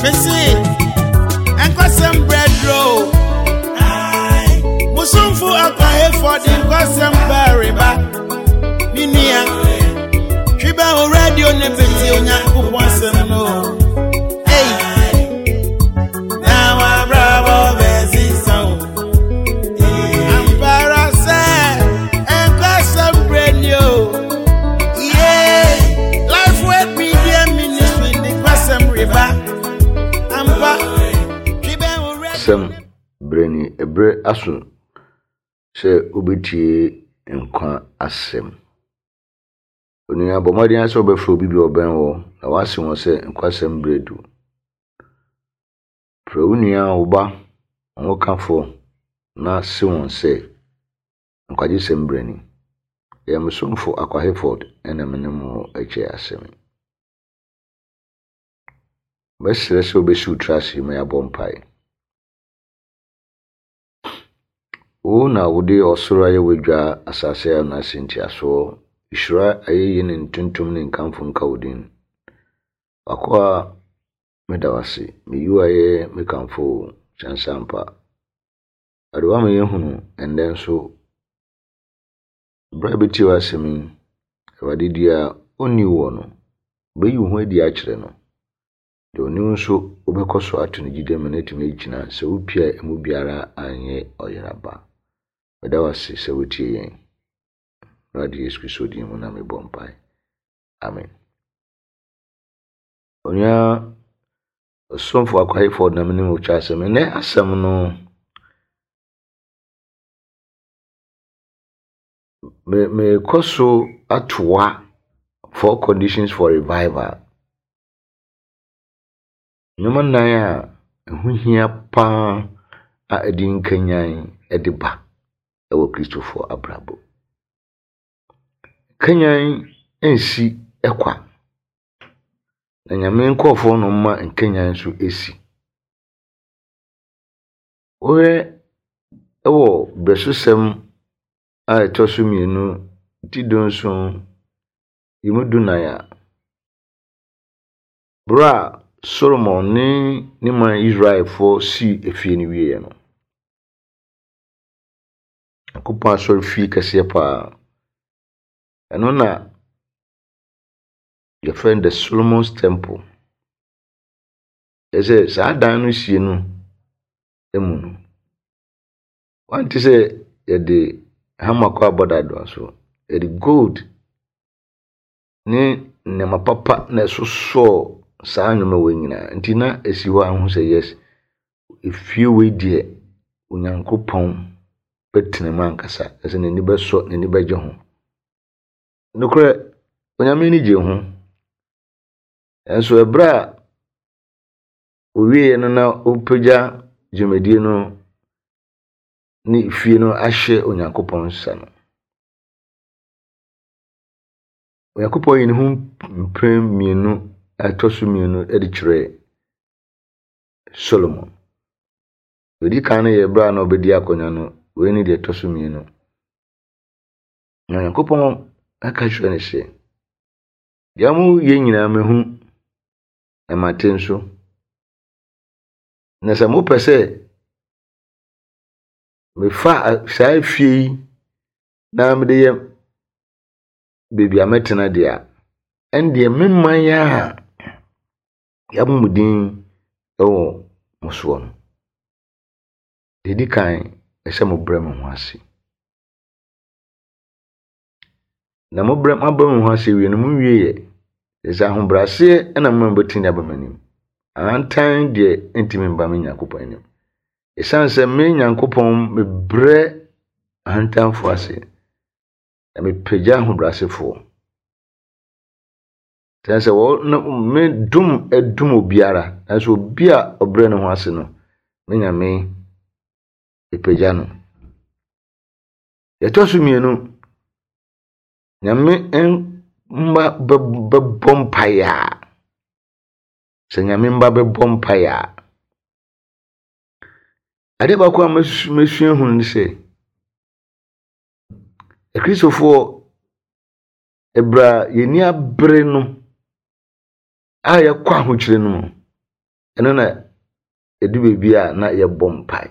Mese, nkwasɛm brɛduro. Musumfo akwahefo de nkwasɛm bɛreba. Me nua, twi bɛ wo radio ne bɛti Onyankopɔn asɛm no. Ei, na wabrabɔ bɛsesa o. Ampara sɛ nkwasɛm brɛ ni o. Yeah, Life Word Media Ministry de nkwasɛm reba. Ampa, twi bɛ wo radio. Sɛm berɛ ni, ɛberɛ aso sɛ wobɛtie nkwa asɛm. Onua, bɔ mmɔden ara sɛ wobɛfrɛ obi bi a ɔbɛn wo na woase wɔn sɛ nkwasɛm berɛ du. Frɛ wo nua, wo ba, wo hokafo na se wɔn sɛ nkwagyesɛm berɛ ni. Ɛyɛ me somfo Akwa Hayford na me ne mo rekyɛ asɛm yi. Mɛsrɛ sɛ wobɛsi wo tiri ase ma yɛabɔ mpae. Wo na wode ɔsoro ayɛ w'adwa, asase ayɛ wo n'ase ntiasoɔ. Nhyira, ayɛyie ne ntontom ne nkamfo nka wo din. W'akoa, meda wo ase. Meyi wo ayɛ, mekamfo wo, kyɛnse ampa. Awurade woama yɛahunu ɛnnɛ nso berɛ a yɛbɛtie w'asɛm yi, Awurade deɛ ɔnni woɔ no, wobɛyi wo ho adi akyerɛ no. Deɛ ɔne wo nso wobɛkɔ so ato no gyidie ma no atumi agyina sɛ wopie a ɛmu biara anyɛ ɔyera ba. Meda wo ase sɛ wotie yɛn. Awurade Yesu Kristo din mu na mebɔ mpae. Amen. Onua ɔsomfo Akwa Hayford na mene mo twa asɛm. Ɛnɛ asɛm no mekɔ so atoa four conditions for revival. Nneɛma nnan a ɛho hia pa ara a ɛde nkanyan de ba wɔ Kristofoɔ abrabɔ mu. Nkanyan nsi kwa, na Nyame nkurɔfoɔ na wɔma nkanyan nso si. Wohwɛ wɔ Berɛsosɛm a ɛtɔ so mmienu ti dunson yi mu dunan a, Berɛ a Solomon ne ne man Israelfoɔ sii efie no wieeɛ no, Nyankopɔn asɔrefie kɛseɛ paa. Ɛno na yɛfrɛ no the Solomon's Temple. Kyerɛ sɛ saa dan no sie no mu no, wante sɛ yɛde hammer kɔ abɔdadoa so, yɛde gold ne nneɛma papa na ɛsosɔɔ saa nneɛma wei nyinaa. Nti na ɛsi hɔ a wohu sɛ yes, efie wei deɛ Onyankopɔn bɛtena mu ankasa. Ɛsɛ n'ani bɛsɔ, n'ani bɛgye ho. Nokorɛ, Onyame ani gye ho. Nanso ɛberɛ a owieɛ no na ɔpagya dwumadie no ne fie no ahyɛ Onyankopɔn nsa no, Onyankopɔn yii ne ho mprɛ mmienu a ɛtɔ so mmienu de kyerɛɛ Solomon. Deɛ ɔdi kan no yɛ berɛ a na ɔbɛdi akonnwa no, wei ne deɛ ɛtɔ so mmienu. Na Onyankopɔn ka kyerɛ no sɛ, deɛ moyɛ nyinaa mahu, na mate nso. Na sɛ mopɛ sɛ mefa saa efie yi na mede yɛ baabi a mɛtena deɛ a, ɛndeɛ me man a yɛabɔ mo din wɔ mo soɔ no, deɛ ɛdi kan, ɛsɛ mobrɛ mo ho ase. Na mobrɛ moabrɛ mo ho ase wie no, monwieɛ. Ɛsɛ sɛ ahobrɛaseɛ na moma mobɛtumi aba m'anim. Ahantan deɛ ɛntumi mba me Nyankopɔn anim. Ɛsiane sɛ me Nyankopɔn mebrɛ ahantanfoɔ ase, na mepagya ahobrɛasefoɔ. Kyerɛ sɛ wɔn me dom dom obiara, nanso obi a ɔbrɛ ne ho ase no, me Nyame mepagya no. Deɛ ɛtɔ so mmienu, Nyame mma bɛbɔ mpaeɛ a, sɛ Nyame mma bɛbɔ mpaeɛ a, adeɛ baako a masua hunu ne sɛ, Akristofoɔ, ɛberɛ a yɛn ani abere no a yɛkɔ ahokyere no mu, Ɛno na ɛdu baabi a na yɛbɔ mpae.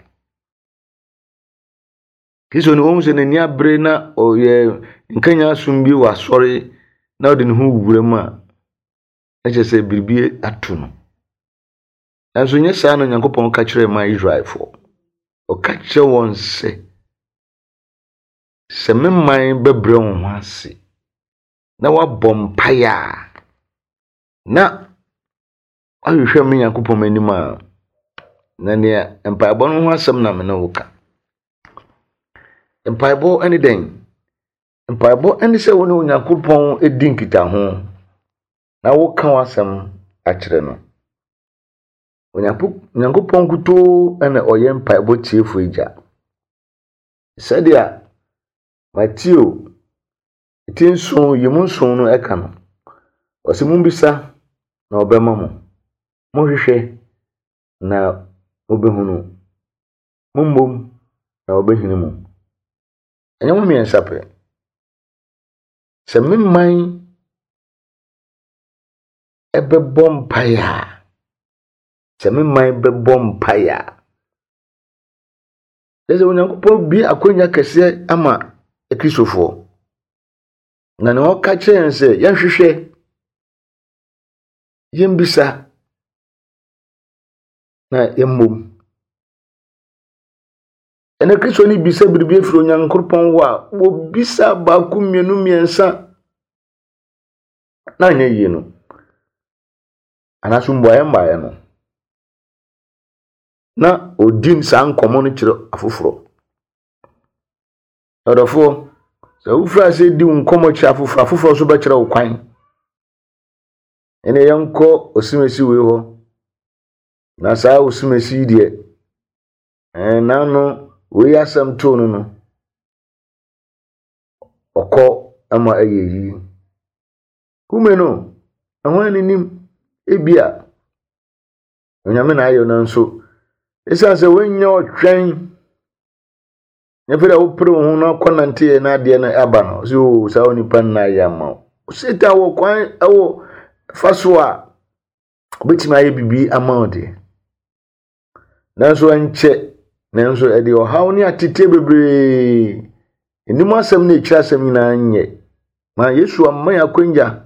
Kristo no wɔn sɛ n'ani abere na ɔyɛ nkanya som bi wɔ asɔre na ɔde ne ho wura mu a, na kyerɛ sɛ biribi ato no. Nanso nyɛ saa na Onyankopɔn ka kyerɛɛ ma Israelfoɔ. Ɔka kyerɛ wɔn sɛ, sɛ me man bɛbrɛ wɔn ho ase na wɔabɔ mpaeɛ a, na woahwehwɛ me Nyankopɔn m'anim a, na nea mpaebɔ no ho asɛm na me ne wo ka. Mpaebɔ ne dɛn? Mpaebɔ ne sɛ wo ne Onyankopɔn di nkitaho na woka w'asɛm akyerɛ no. Onyankopɔn nkutoo na ɔyɛ mpaebɔ tiefo agya. Sɛdeɛ Mateo ti nson yi mu nson no ka no, ɔse mommisa na ɔbɛma mo, monhwehwɛ na mobɛhunu, mommom na wɔbɛhini mo. Ɛnyɛ mo mmiɛnsa pɛ. Sɛ me man ɛbɛbɔ mpaeɛ a, sɛ me man bɛbɔ mpaeɛ a, Kyerɛ sɛ Onyankopɔn bue akwannya kɛseɛ ama Akristofoɔ. Na nea ɔka kyerɛ yɛn sɛ yɛnhwehwɛ, yɛmbisa, na yɛmmom. Ɛnɛ Kristoni bisa biribi afiri Onyankopɔn hɔ a, wɔbisa baako, mmienu, mmiɛnsa na anyɛ yie no. Anaasɛ mmuaeɛ mmaeɛ no. na ɔdi saa nkɔmmɔ no kyerɛ afoforɔ. Ɔdɔfoɔ, sɛ wofiri ase di wo nkɔmmɔ kyerɛ afoforɔ, afoforɔ nso bɛkyerɛ wo kwan. Ɛnna yɛnkɔ osimesi wei hɔ. Na saa osimesi yi deɛ, ɛɛ n'ano wei asɛm too no no, ɔkɔ ma ɛyɛ yie. Kume no, ɛho anenim ebia Onyame na ayɛ nanso ɛsiane sɛ woanya ɔtwɛn na afei dɛ wopere wo ho na akɔ nanteɛ na adeɛ no aba no sɛ o oh, saa onipa no na ayɛ ama wo. Satan wɔ kwan wɔ fa so a obɛtumi ayɛ biribi ama wo deɛ nanso ɛnkyɛ nanso ɛde ɔhaw ne ateteɛ bebree anim asɛm ne akyiri asɛm nyinaa nyɛ ma Yesu amma yɛn akwanya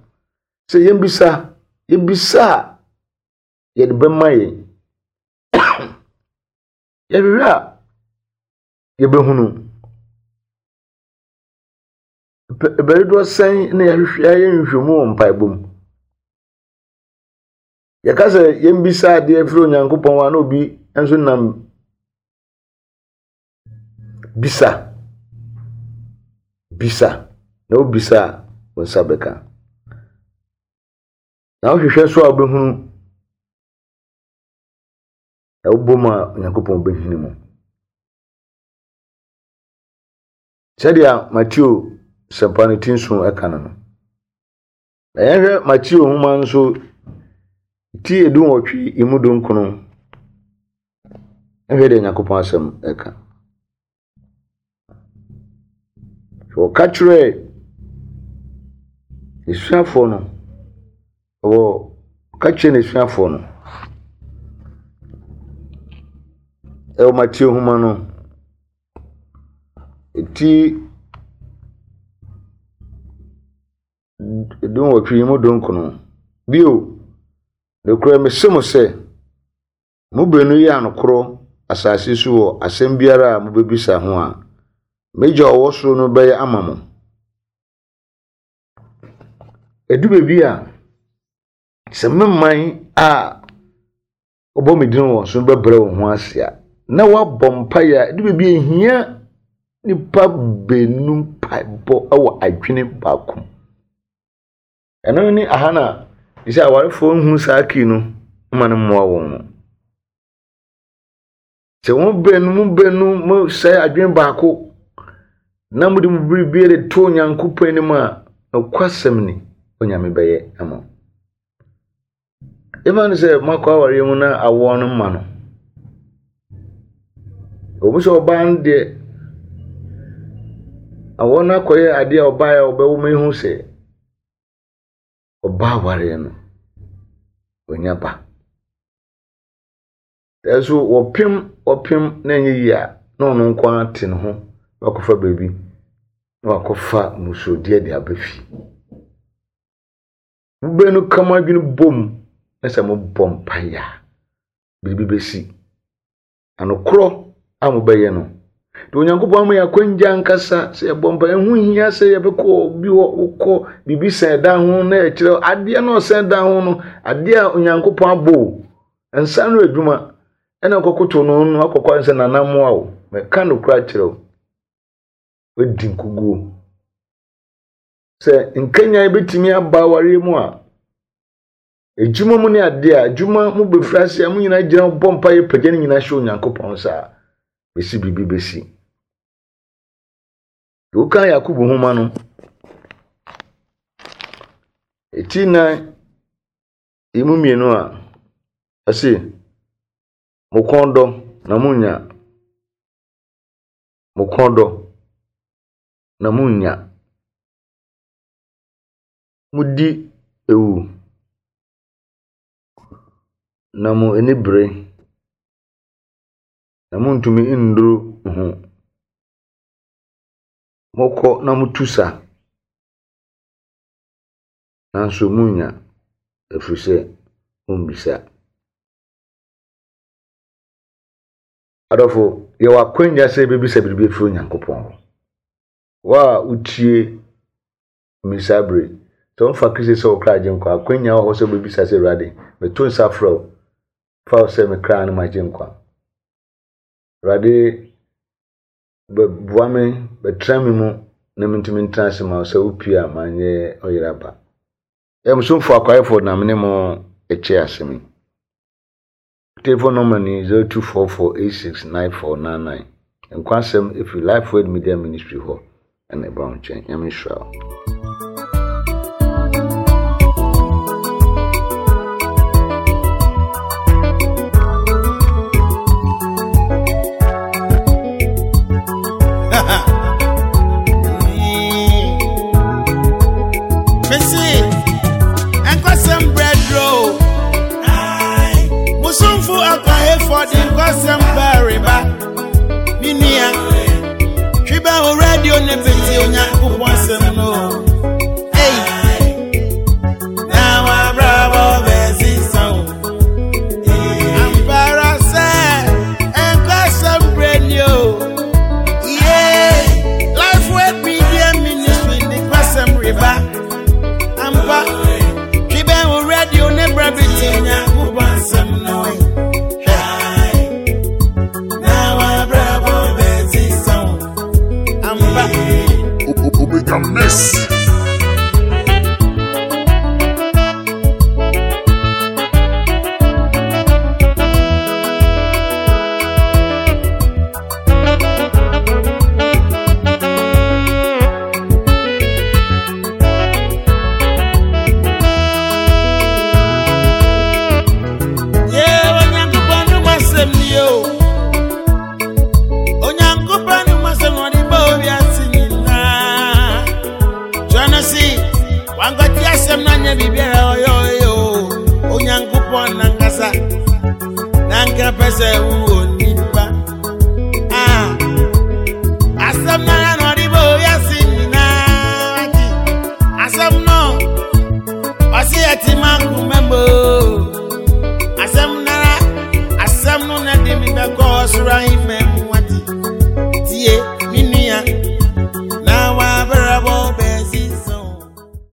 sɛ yɛmbisa yɛbisa a yɛde bɛma yɛn. Yɛhwehwɛ a, yɛbɛhunu. Bɛ dodoɔ sɛn na yɛahwehwɛ yɛayɛ nhwehwɛmu wɔ mpaebɔ mu? Yɛka sɛ yɛmbisa adeɛ firi Onyankopɔn hɔ a na obi nso nam bisa. Bisa. Na wobisa a, wo nsa bɛka. Na wohwehwɛ nso a wobɛhunu, na wobɔ mu a Onyankopɔn bɛhini mu. Sɛdeɛ Mateo sɛmpa no ti nson ɛka no no. Na yɛhwɛ Mateo nwoma nso ti 18 emu 19. Ɛhwɛ deɛ Onyankopɔn asɛm ɛka. Wɔka kyerɛɛ n'asuafoɔ no, wɔ wɔka kyerɛɛ n'asuafoɔ no wɔ Mateo nwoma no ti 18 mu 19. Bio, nokorɛ mese mo sɛ, Mo baanu yɛ anokorɔ asase so wɔ asɛm biara a mobɛbisa ho a, m'Agya a ɔwɔ soro no bɛyɛ ama mo. Ɛdu baabi a, sɛ me man a wɔbɔ me din wɔ so bɛbrɛ wɔn ho ase a, na wɔabɔ mpaeɛ a, ɛdu baabi a ɛhia nnipa baanu mpaebɔ wɔ adwene baako mu. Ɛno ne aha na sɛ awarefoɔ nhu saa kii no ma no mmoa wɔn no. Sɛ wɔn baanu mu baanu mo sɛe adwene baako na mode mo biribi de to Onyankopɔn anim a, nokwasɛm ni, Onyame bɛyɛ ama wo. Ɛma no sɛ moakɔ awareɛ mu na awoɔ no mma no. Ɛwɔ mu sɛ ɔbaa no deɛ, awoɔ no akɔyɛ adeɛ a ɔbaeɛ a ɔbɛwo ma ehu sɛ ɔbaa awareɛ no, wanya ba. Nanso wɔpem wɔpem na ɛnyɛ yie a, na ɔno nko ara te ne ho na wakɔfa baabi na wakɔfa mmusuodeɛ de aba fie. Mobɛnu ka mo adwene bom na sɛ mobɔ mpaeɛ a, biribi bɛsi. Anokorɔ a mobɛyɛ no. De Onyankopɔn ama yɛ akwangya ankasa sɛ yɛbɔ mpa. Ɛho hia sɛ yɛbɛkɔ obi hɔ, wokɔ biribi sɛn dan ho na ɛkyerɛ adeɛ no ɔsɛn dan ho no, adeɛ a Onyankopɔn abɔ o. Nsa no adwuma ɛna kɔkoto no no akɔkɔ sɛ nana mmoa o. Mɛka nokorɛ akyerɛ wo. Wadi nkuguo. Sɛ nkanyan bɛtumi aba awareɛ mu a, Adwuma mu ne adeɛ a, adwuma mu bɛfiri ase a, mo nyinaa gyina bɔ mpa yɛ pagya ne nyinaa hyɛ Onyankopɔn nsa a, bɛsi biribi bɛsi. Deɛ woka Yakobo nwoma no, ɛti nan emu mmienu a, ɛse, mo kɔn dɔ na monnya, mo kɔn dɔ na monnya. Modi awu, na mo ani bere, na muntumi nnuru ho. Mokɔ na motu sa, nanso munnya, ɛfiri sɛ mummisa. Adɔfo, yɛwɔ akwannya sɛ yɛbɛbisa biribi afiri Onyankopɔn hɔ. Wo a wotie me saa bere yi, sɛ womfa Kristo sɛ wo kra agyenkwa a, akwannya wɔ hɔ sɛ wobɛbisa sɛ, Awurade, meto nsa frɛ wo, fa wo sɛ me kra ne m'agyenkwa. Awurade, bɛboa me, bɛtra me mu na mentumi ntena ase ma wo sɛ wopie a manyɛ ɔyera ba. Yɛ mo somfo akwaefo na me ne mo kyɛ asɛm yi. Telephone number ni 0244869499. Nkwa asɛm ɛfiri Life Word Media Ministry hɔ ɛna ɛba wo nkyɛn. Nyame nhyira wo. Missy, and bread roll. Musumfu akwaefo de nkɔsɛm bɛreba. Me nua, twi bɛ wo radio ne bete Onyankopɔn asɛm no. Ei, na wabrabɔ bɛsesa o. Ampara sɛ nkɔsɛm brɛ ni o. Yeah, Life Word Media Ministry de nkɔsɛm reba. Ampa, twi bɛn wo radio ne brɛ bi te Nyankopɔn asɛm no. Hwɛ, na wabrabɔ bɛsesa wo. Ampa. Omega Mess. Nanka pɛ sɛ wowɔ nipa Ah, asɛm no ara na ɔde bɔ wiase nyinaa nti asɛm no ɔse ɛte ma nkoma mu asɛm nara asɛm no na de me bɛkɔ ɔsoro ahemma.